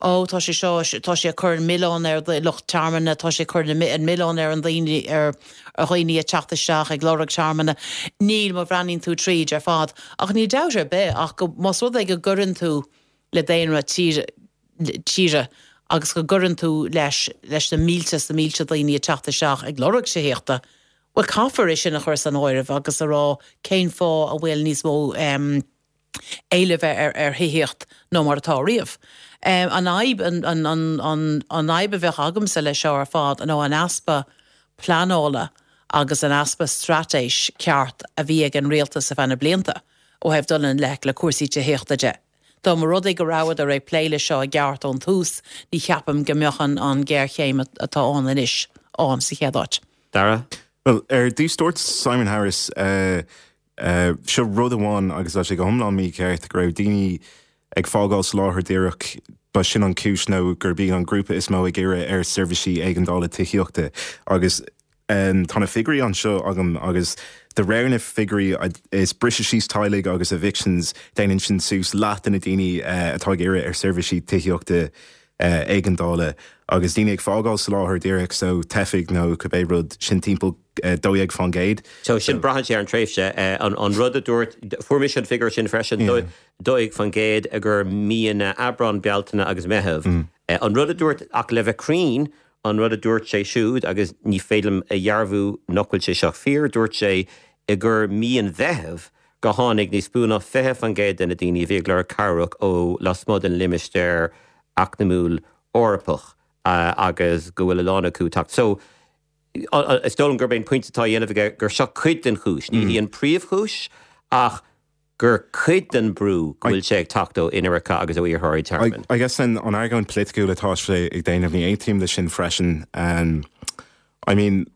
ó tá sé seo, tá sé ag cur an milleán ar lucht tearmainne, tá sé ag cur an milleán ar an daoine, ar dhaoine ag teacht isteach ag lorg tearmainne. Níl, má bhreathnaíonn tú tríd ar fad. Ach níl dabht ar bith ach go, más rud é go gcuireann tú le daonra tíre agus go gcuireann tú leis leis na mílte is na mílte daoine ag teacht isteach ag lorg tithíochta, bhuel caithfear é sin a chur san áireamh agus a rá cén fáth a bhfuil níos mó éilimh ar ar thithíocht ná mar atá riamh. An fhadhb an an an fhadhb a bheadh agamsa leis seo ar fad ná an easpa pleanála agus an easpa straitéis ceart a bhí ag an rialtas ar feadh na blianta ó thaobh dul i ngleic le cúrsaí tithíochta de. Dá mba rud é go rabhadar ag plé leis seo i gceart ón tús, ní cheapaim go mbeadh an ghéarchéim atá ann anois ann sa chéad áit. Dara? Bhuel, ar dtús dúirt Simon Harris, seo rud amháin agus tá sé go hiomlán mícheart, go raibh daoine ag fágáil soláthar díreach, ba sin an chúis nó gurb iad an grúpa is mó ag iarraidh ar seirbhísí éigeandála tithíochta agus Tá na figiúirí anseo agam agus de réir na figiúirí is briseadh síos teaghlaigh agus evictions, déanann sin suas leath de na daoine atá ag iarraidh ar seirbhísí tithíochta éigeandála agus daoine ag fágáil soláthar díreach so teifigh nó cibé rud, sin timpeall 12%. So sin braitheann sé ar an tréimhse. An rud a dúirt, fuair mise an figiúr sin freisin, 12% idir míonna Aibreán, Bealtaine agus Meitheamh. An rud a dúirt, ach le bheith cruinn, An rud a dúirt sé siúd, agus ní féidir liom a dhearbhú nach bhfuil sé seo fíor, dúirt sé i gur mí an Mheithimh go tháinig níos mó ná 20% de na daoine a bhí ag lorg cabhrach ó lasmuigh den Limistéar Eacnamúil Eorpach agus go bhfuil a lán acu ag teacht. So, is dóigh liom gurb é an pointe atá á dhéanamh aige gur seo cuid den chúis. Ní hí an príomhchúis ach gur cuid den brú go bhfuil sé ag teacht ó inimirce agus ó iarrthóirí tearmainn. I guess an argóint polaitiúil atá sé ag déanamh, ní aontaím leis sin freisin. I mean,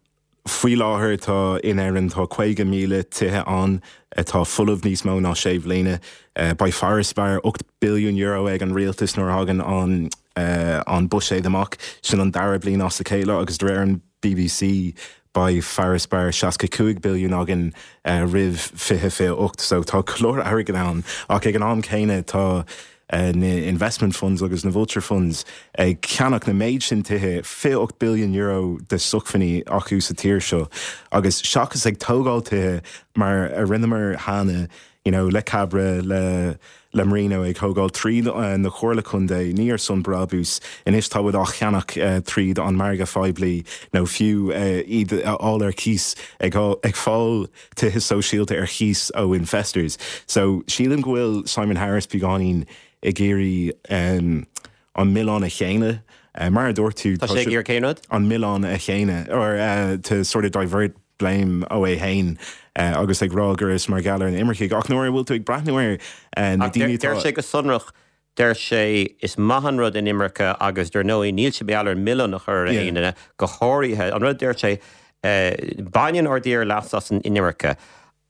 faoi láthair tá in Éirinn tá 50,000 tithe ann atá folamh níos mó ná sé bhliana. Beidh farasbarr €8 billiún ag an rialtas nuair a thagann an an buiséad amach. Sin an dara bliain as a chéile agus de réir an BBC beidh farasbarr 65 billiún againn roimh 2028 so tá go leor airgead ann ach ag an am céanna tá na investment funds agus na vulture funds ag ceannach na méid sin tithe, €28 billiún de sócmhainní acu sa tír seo agus seachas ag tógáil tithe mar a rinneamar cheana you know, le Cabra, le le Marino ag thógáil tríd na Comhairle Contae, ní ar son brabús. Anois tá muid á cheannach tríd an margadh phoiblí nó fiú iad a fháil ar cíos, ag ag fáil tithe sóisialta ar chíos ó infestors. So sílim go bhfuil Simon Harris beagáinín ag iarraidh an milleán a shéanadh. Mar a dúirt tú, Tá sé ag iarraidh cén rud? An milleán a shéanadh, or to sort of divert blame ó é féin agus ag rá gur is mar gheall ar na imircigh. Ach nuair a bhfuil tú ag breathnú ar na daoine atá. Deir sé go sonrach, deir sé, is maith an rud inimirce agus dar ndóigh níl sé mar gheall ar an milleán a chur ar aon duine, go háirithe, an rud a deir sé, baineann ár dtír leas as an inimirce,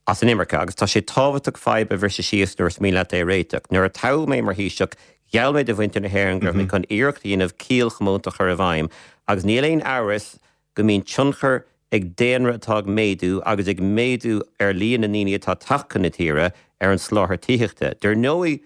as an imirce agus tá sé tábhachtach fadhb a bhriseadh síos nuair is mian leat é a réiteach. Nuair a toghadh mé mar Thaoiseach, gheall mé do mhuintir na hÉireann go raibh mé chun iarracht a dhéanamh ciall chomónta a chur i bhfeidhm agus níl aon amhras go mbíonn tionchar ag daonra atá ag méadú agus ag méadú ar líon na ndaoine atá ag teacht chun na tíre ar an soláthar tithíochta. Dar ndóigh,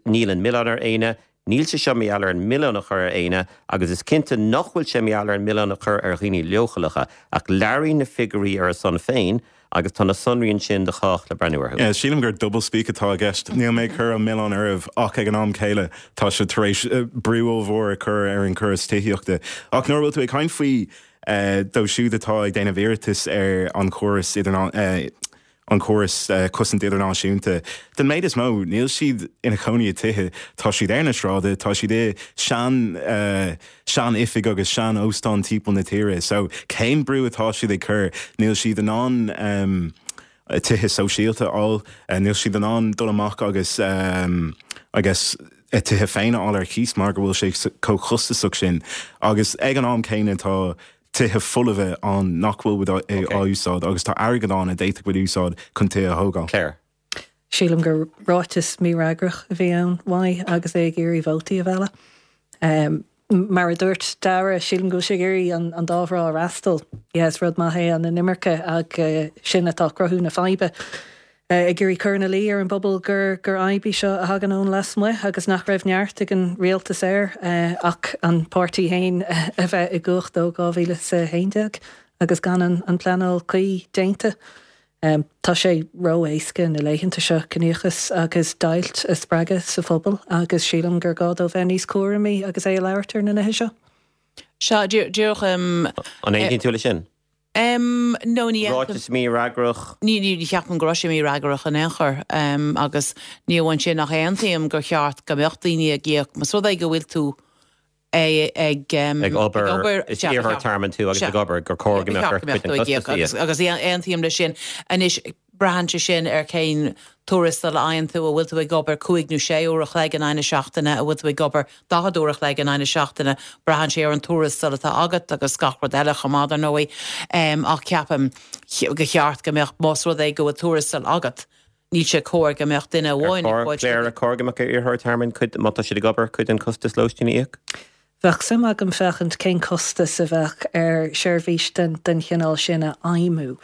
níl an milleán ar éinne. Níl sé seo mar gheall ar an milleán a chur ar éinne agus is cinnte nach bhfuil sé mar gheall ar an milleán a chur ar dhaoine leochaileacha, ach labhraíonn na figiúirí ar a son féin agus tá na sonraí ansin do chách le breathnú orthu. Yeah, sílim gur double-speak atá i gceist. Níl mé ag cur an milleán oraibh ach ag an am céile tá sibh tar éis brú ollmhór a chur ar an chóras tithíochta. Ach nuair a bhfuil tú ag caint faoi dóibh siúd atá ag déanamh iarratais ar an chóras idirná an córas cosaint idirnáisiúnta. Den méid is mó, níl siad ina chónaí i tithe, tá siad ar na sráide, tá siad i sean sean oifig agus sean óstán timpeall na tíre. So cén brú atá siad ag cur? Níl siad in ann tithe sóisialta a fháil, níl siad in ann dul amach agus I guess a tithe féin a fháil ar cíos mar go bhfuil sé chomh costasach sin. Agus ag an am céanna tá tithe folmha ann nach bhfuil á úsáid agus tá airgead ann a d'fhéadfadh muid úsáid chun tithe a thógáil. Claire. Sílim gur ráiteas mífhreagrach a bhí ann uaidh agus é ag iarraidh vótaí a mhealladh. Mar a dúirt Dara, sílim go bhfuil sé ag iarraidh an dá thrá a fhreastal. Yeah, is rud maith é an inimirce ach sin atá ag cruthú na faidhbe. ag iarraidh cur ina luí ar an bpobal gur gur fhadhb í seo a thagann ón lasmuigh agus nach raibh neart ag an rialtas air ach an páirtí féin a bheith i gcumhacht ó 2011 agus gan an an pleanáil cuí déanta. Tá sé ró-éasca na laethanta seo ciníochas agus deighilt a spreagadh sa phobal agus sílim gur gá dó bheith níos cúramaí agus é ag labhairt ar na nithe seo. Sea, díreach. An aontaíonn tú leis sin? Em, no, ní aontaím. Ráiteas mífhreagrach. Ní, ní, ní cheapaim go raibh sé mífhreagrach in aon chor. Em, agus ní amháin sin ach aontaím gur cheart go mbeadh daoine ag íoc, más rud é go bhfuil tú ag, ag, em, Ag obair, ag obair, is sea, ba iarrthóir cheart, tearmainn tú agus sea, ag obair, gur chóir ba go mbeadh cheart ort go mbeadh cuid den tú ag íoc chostas a agus, íoc. agus aontaím leis sin. Anois, braitheann sé sin ar cén tuarastal a fhaigheann tú, an bhfuil tú ag obair cúig nó sé uair a chloig in aghaidh na seachtaine, an bhfuil tú ag obair 40 uair a chloig in aghaidh na seachtaine, braitheann sé ar an tuarastal atá agat agus gach rud eile chomh maith, dar ndóigh. Ach ceapaim go cheart go mbeadh, más rud é go bhfuil tuarastal agat, níl sé cóir go mbeadh duine amháin ag fáil. Claire, ar chóir go mbeadh ar iarrthóirí tearmainn cuid, má tá siad ag obair, cuid den chostas lóistín a íoc? Bheadh suim agam féachaint cén costas a bheadh ar sheirbhís den chineál sin a fheidhmiú.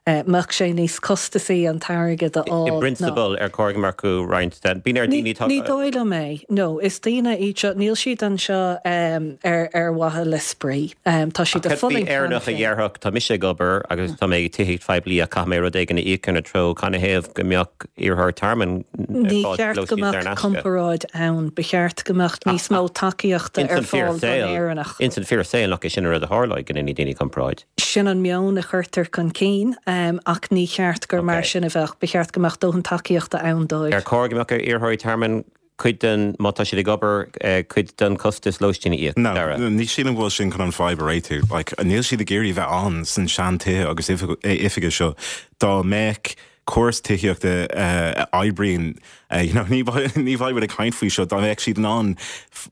Mbeadh sé níos costasaí an t-airgead a I fháil ná. bprionsabal, ar chóir go mbeadh orthu roinnt den. Bíonn ar daoine atá. Ní dóigh liom é. No, is daoine iad seo, níl siad anseo ar mhaithe le spraoi. Tá siad Ach ag cad faoi fulaingt cheana Éireannach a féin. dhéarfadh, tá mise ag obair agus tá mé ag tithíocht phoiblí ach caithfidh mé rud éigin a íoc ina treo, canathaobh go mbeadh iarrthóir tearmainn ar Ní fáil cheart go lóistín saor in mbeadh aisce? comparáid ann. Ba cheart go mbeadh níos mó tacaíochta Ins ar an fíor fáil don saol, Éireannach. ins an fíor saol nach é sin an rud a tharlóidh, go ndéanfaidh daoine comparáid. Sin an meon a chuirtear chun cinn, ach ní cheart gur mar Ok. sin a bheadh. Ba cheart go mbeadh dóthain tacaíochta ann dóibh. Ar chóir go mbeadh ar iarrthóirí tearmainn cuid den, má tá siad ag obair, cuid den chostas lóistín a íoc? No, Dara. ní sílim go bhfuil sin chun an fadhb a réitiú. Like, níl siad ag iarraidh bheith ann san sean-tithe agus oifige seo. Dá mbeadh córas tithíochta a oibríonn, you know, ní ní bheadh muid ag caint faoi seo, dá mbeadh siad in ann,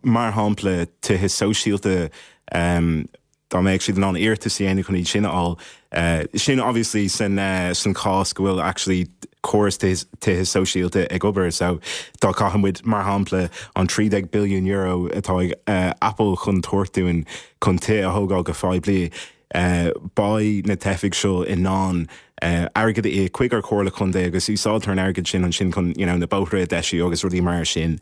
mar shampla, tithe sóisialta, dá mbeadh siad in ann iarratas a dhéanamh chun iad sin a fháil. Sin obviously san san chás go bhfuil actually córas tithe sóisialta ag obair. So dá gcaithfeadh muid, mar shampla, an €13 billiún atá ag Apple chun tabhairt dúinn chun tithe a thógáil go poiblí, beidh na teifigh seo in ann airgead a íoc chuig ár Comhairle Contae agus úsáidtear an airgead sin ansin chun you know na bóithre a deisiú agus rudaí mar sin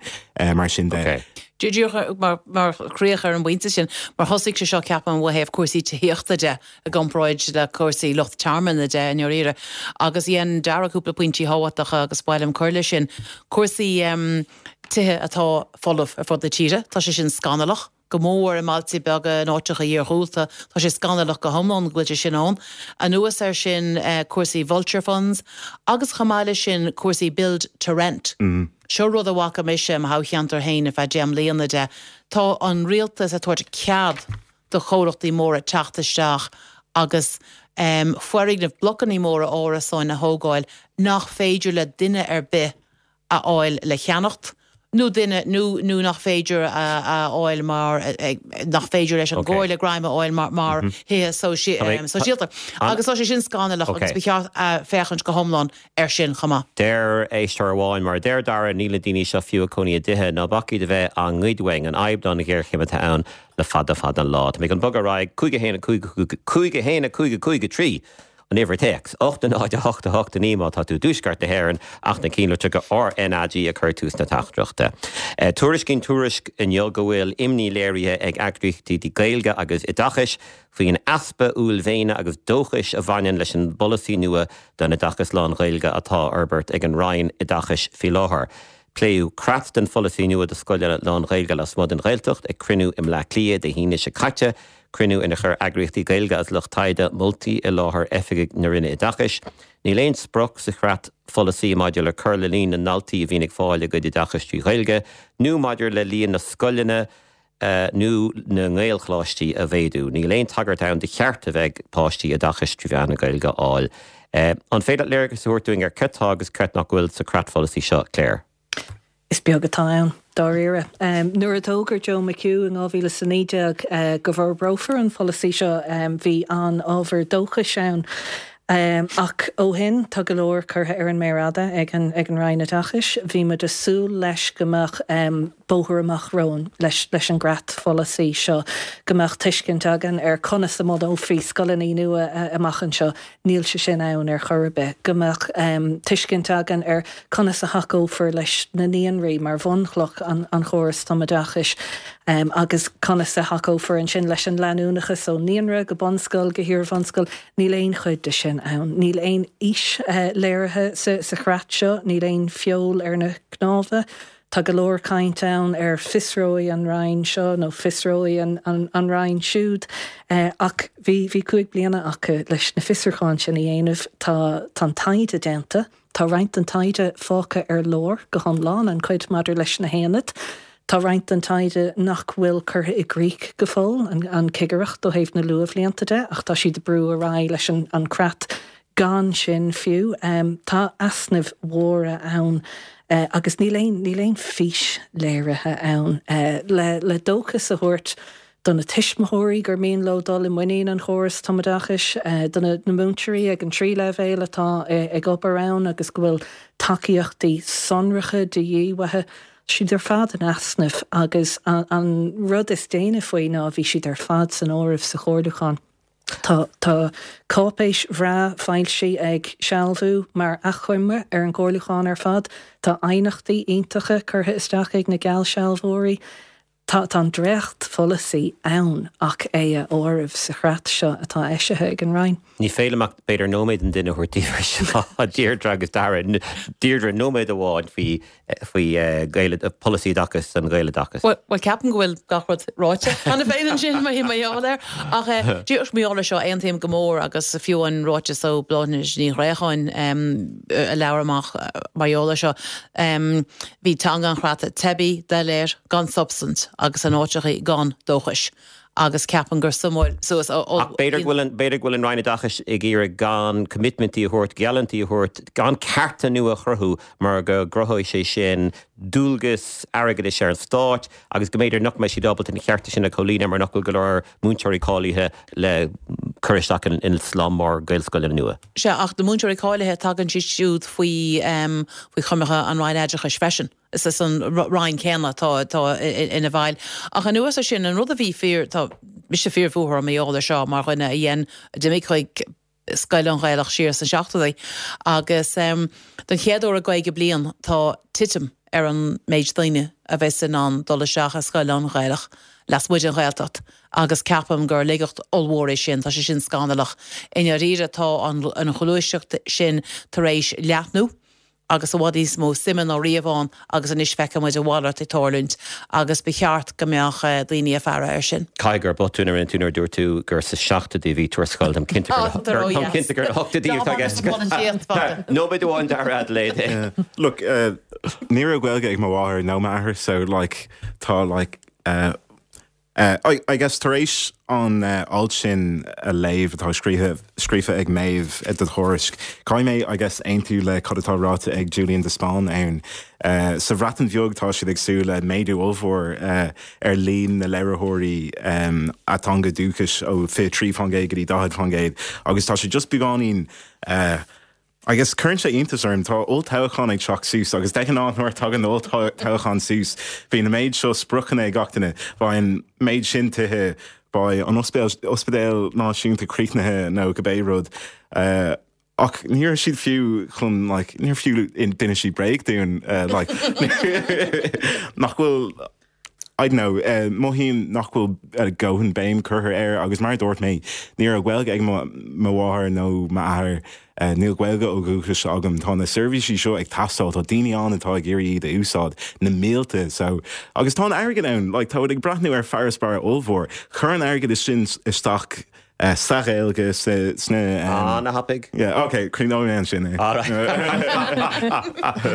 mar sin de. Ok. Díreach mar mar chríoch ar an bpointe sin, mar thosaigh sé seo ceapaim ó thaobh cúrsaí tithíochta de i gcomparáid le cúrsaí lucht tearmainn de i ndáiríre agus dhein Dara cúpla pointí tábhachtacha agus ba mhaith liom cur leis sin. Cúrsaí tithe atá folamh ar fud na tíre, tá sé sin scannalach. go mór i mbailte beaga, in áiteacha iarghúlta. Tá sé scannalach go hiomlán go bhfuil sé sin ann. Anuas air sin, cúrsaí vulture funds agus chomh maith leis sin cúrsaí build to rent. Seo rud a bhfaca mise i mo thoghcheantar féin ar feadh deich mbliana de. Tá an rialtas ag tabhairt cead do chomhlachtaí móra teacht isteach agus foirgnimh, blocannaí móra árasáin a thógáil nach féidir le duine ar bith a fháil le cheannacht nó duine nó nó nach féidir a fháil mar nach féidir leis an gcomhairle greim a fháil mar mar thithe sóisialta. Agus tá sé sin scannalach agus ba cheart féachaint go hiomlán air sin chomh maith. Deir éisteoir amháin, mar a deir Dara, níl na daoine seo fiú ag cónaí i dtithe, ná bac iad a bheith á ngoid uainn, an fhadhb ná an ghéarchéim atá ann le fada fada an lá. Tá mé chun bogadh ar aghaidh, 5 1 5 5 1 5 5 3. An uimhir téacs, 8 0 8 8 9 má tá tú i dtuaisceart na hÉireann ach na cinnlitreacha RnaG a chur tús na teachtaireachta. Tuairiscíonn Tuairisc inniu go bhfuil imní léirithe ag eagraíochtaí Gaeilge agus oideachais faoin easpa uaillmhéine agus dóchais a bhaineann leis an bpolasaí nua don oideachas lán-Ghaeilge atá á fhorbairt ag an Roinn Oideachais faoi láthair. Pléadh creat den pholasaí nua do scoileanna lán-Ghaeilge lasmuigh den Ghaeltacht ag cruinniú i mBleá Cliath Dé hAoine seo caite, cruinniú inar chuir eagraíochtaí Gaeilge agus lucht taighde moltaí i láthair oifigigh na Roinne Oideachais. Níl aon sprioc sa chreat pholasaí maidir le cur le líon na ndaltaí a bhíonn ag fáil a gcuid oideachais trí Ghaeilge nó maidir le líon na scoileanna nó na nGaelcholáistí a mhéadú. Níl aon tagairt ann do cheart a bheith ag páistí oideachas trí mheán na Gaeilge a fháil. An féidir leat léargas a thabhairt dúinn ar cad tá agus cad nach bhfuil sa chreatpholasaí seo, Claire? Is beag atá ann, dáiríre. Nuair a d'fhógair Joe McHugh in 2019 go bhforbrófar an pholasaí seo, bhí an-ábhar dóchais ann. Ach ó shin, tá go leor curtha ar an méar fhada ag an ag an Roinn Oideachais. Bhí muid ag súil leis go mbeadh bóthar amach romhainn leis leis an gcreatpholasaí seo, go mbeadh tuiscint againn ar conas a mbunófaí scoileanna nua amach anseo. Níl sé sin ann ar chor ar bith. Go mbeadh tuiscint againn ar conas a thacófar leis na naíonraí mar bhunchloch an chórais tumoideachais agus conas a thacófar ansin leis an leanúnachas ó naíonra go bunscoil go hiar-bhunscoil. Níl aon chuid de sin ann. Níl aon fhís léirithe sa chreat seo, níl aon feol ar na cnámha. Tá go leor caint ann ar fiosróidh an Roinn seo nó fiosróidh an Roinn siúd ach bhí bhí 5 bliana acu leis na fiosrúcháin sin a dhéanamh. Tá tá an taighde déanta. Tá roinnt den taighde fágtha ar lár go hiomlán, an chuid maidir leis na haonaid. Tá roinnt den taighde nach bhfuil curtha i gcrích go fóill, an chigireacht ó thaobh na luathbhlianta de, ach tá siad ag brú ar aghaidh leis an creat gan sin fiú. Tá easnaimh mhóra ann agus níl aon, níl aon fís léirithe ann le dóchas a thabhairt do na tuismitheoirí gur mian leo dul i muinín an chórais tumoideachais, do na múinteoirí ag an trí leibhéal atá ag obair ann agus go bhfuil tacaíochtaí sonracha de dhíth uathu. Siad ar fad in easnamh agus an rud is déine faoi ná bhí siad ar fad san áireamh sa chomhairliúchán. Tá tá cáipéis bhreá foilsithe ag Sealbhú mar achoimre ar an gcomhairliúchán ar fad. Tá aighneachtaí iontacha curtha isteach ag na geallsealbhóirí. Tá tá an dréachtpholasaí ann ach é a áireamh sa chreat seo atá eisithe ag an Roinn. Ní féidir liom ach b'fhéidir nóiméad an duine a thabhairt daoibh ar seo, Deirdre agus Dara. Deirdre, nóiméad amháin faoi faoi polasaí oideachais don Ghaeloideachas. Bhuel, ceapaim go bhfuil gach rud ráite cheana féin ansin mar gheall air. Ach díreach mar gheall air seo, aontaím go mór agus fiú an ráiteas ó Bláthnaid Ní Ghréacháin a labhair amach mar gheall air seo, bhí teanga an chreata teibí, doiléir, gan substaint agus in áiteachaí gan dóchas. Agus ceapaim gur suamáil suas ó. Ach b'fhéidir go bhfuil an, b'fhéidir go bhfuil an Roinn Oideachais ag iarraidh gan coimitmintí a thabhairt, geallúintí a thabhairt, gan cearta nua a chruthú mar go gcruthóidh sé sin dualgas airgeadais ar an Stát agus go mb'fhéidir nach mbeidh siad ábalta na cearta sin a chomhlíonadh mar nach bhfuil go leor múinteoirí cáilithe le cur isteach in slám mór Gaelscoileanna nua. Sea, ach na múinteoirí cáilithe, tagann siad siúd faoi, faoi choimirce an Roinn Oideachais freisin. Is an Roinn céanna atá ina bhfeighil. Ach anuas air sin, an rud a bhí fíor, tá mise fíorbhuartha mar gheall air seo mar dhuine a dhein, a d'imigh chuig scoil lán-Ghaelach siar sna seachtóidí agus don chéad uair i gcaoga bliain tá titim ar an méid daoine a bheas in ann dul isteach i scoil lán-Ghaelach lasmuigh den Ghaeltacht agus ceapaim gur laigeacht ollmhór é sin, tá sé sin scannalach. I ndáiríre tá an ghluaiseacht sin tar éis leathnú. agus i bhfad níos mó suime ná riamh ann agus anois feiceann muid a mhalairt ag tarlúint agus ba cheart go mbeadh daoine ag faire air sin. Caithfidh gur botún a rinne tú nuair a dúirt tú gur sa seachtóidí a bhí tú ar scoil. Táim cinnte gur táim cinnte gur na hochtóidí atá i gceist. Nóiméad amháin Dara Adelaide. Look, ní raibh Gaeilge ag mo mháthair nó m'athair so like tá like I guess tar éis an alt sin a léamh atá scríofa ag Méabh do Thuairisc, caithfidh mé I guess aontú le cad atá ráite ag Julian de Spáinn ann. Sa Bhreatain Bheag tá siad ag súil le méadú ollmhór ar líon na labharthóirí ateanga dúchais ó 23% go dtí 40% agus tá sé just beagáinín I guess cuireann sé iontas orm, tá olltoghchán ag teacht suas agus de ghnáth nuair a tagann olltoghchán suas bíonn an méid seo spriocanna ag gach duine, bheadh an méid sin tithe. Beidh an ospidéal náisiúnta críochnaithe nó cibé rud. Ach ní raibh siad fiú chun like níor fiú d'inis siad bréag dúinn like nach bhfuil I don't know mothaím nach bhfuil dóthain béim curtha air agus mar a dúirt mé ní raibh Gaeilge ag mo mháthair nó m'athair níl Gaeilge ó dhúchas agam tá na seirbhísí seo ag teastáil tá daoine ann atá ag iarraidh iad a úsáid na mílte so agus tá an airgead ann like tá ag breathnú ar farasbarr ollmhór chuir an airgead sin isteach Sa Ghaeilge, sna. Ana-thapaidh. Yeah, ok, críochnóidh mé ansin é. Alright.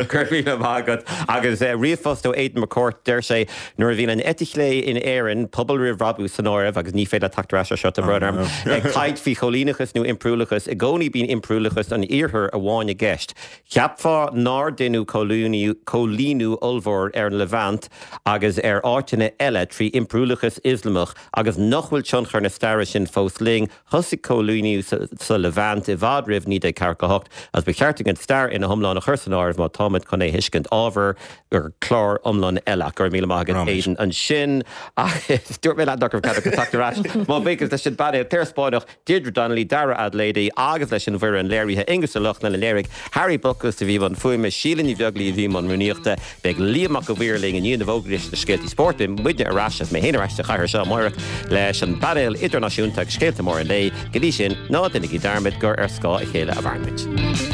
Go raibh míle maith agat. Agus ríomhphost ó Aidan McCourt, deir sé, Nuair a bhíonn an eite chlé in Éirinn, Pobal Roimh Bhrabús san áireamh, agus ní féidir leat teacht ar ais ar seo, tá brón orm, ag caint faoi choilíneachas nó impiriúlachas, i gcónaí bíonn impiriúlachas an Iarthair amháin i gceist. Cheapfá nár deineadh coilíniú ollmhór ar an Levant agus ar áiteanna eile trí impiriúlachas Ioslamach agus nach bhfuil tionchar na staire sin fós linn. Thosaigh coilíniú sa Levant i bhfad roimh 1948 agus ba cheart dúinn an stair ina hiomlán a chur san áireamh má táimid chun é a thuiscint. Ábhar do chlár iomlán eile. Ach go raibh míle maith agat Aidan ansin. Agus dúirt mé leat nach raibh cead agat teacht ar ais. Mo bhuíochas leis an bpainéal Clare Spáinneach, Deirdre Donnelly, Dara Adelaide agus leis an bhfoireann léirithe, Aengus Ó Lochlainn a léirigh, Harry Buckus a bhí i mbun fuaime, Síle Ní Bheaglaoí a bhí i mbun rúnaíochta. Beidh Liam Mac a' Mhaoir linn i ndiaidh na bhfógraí leis na scéaltaí spóirt. Beidh muidne ar ais, agus mé féin ar ais sa chathaoir seo amáireach leis an bpainéal idirnáisiúnta agus scéalta móra an lae. Go dtí sin, ná déanaigí dearmad gur ar scáth a chéile a mhaireann muid.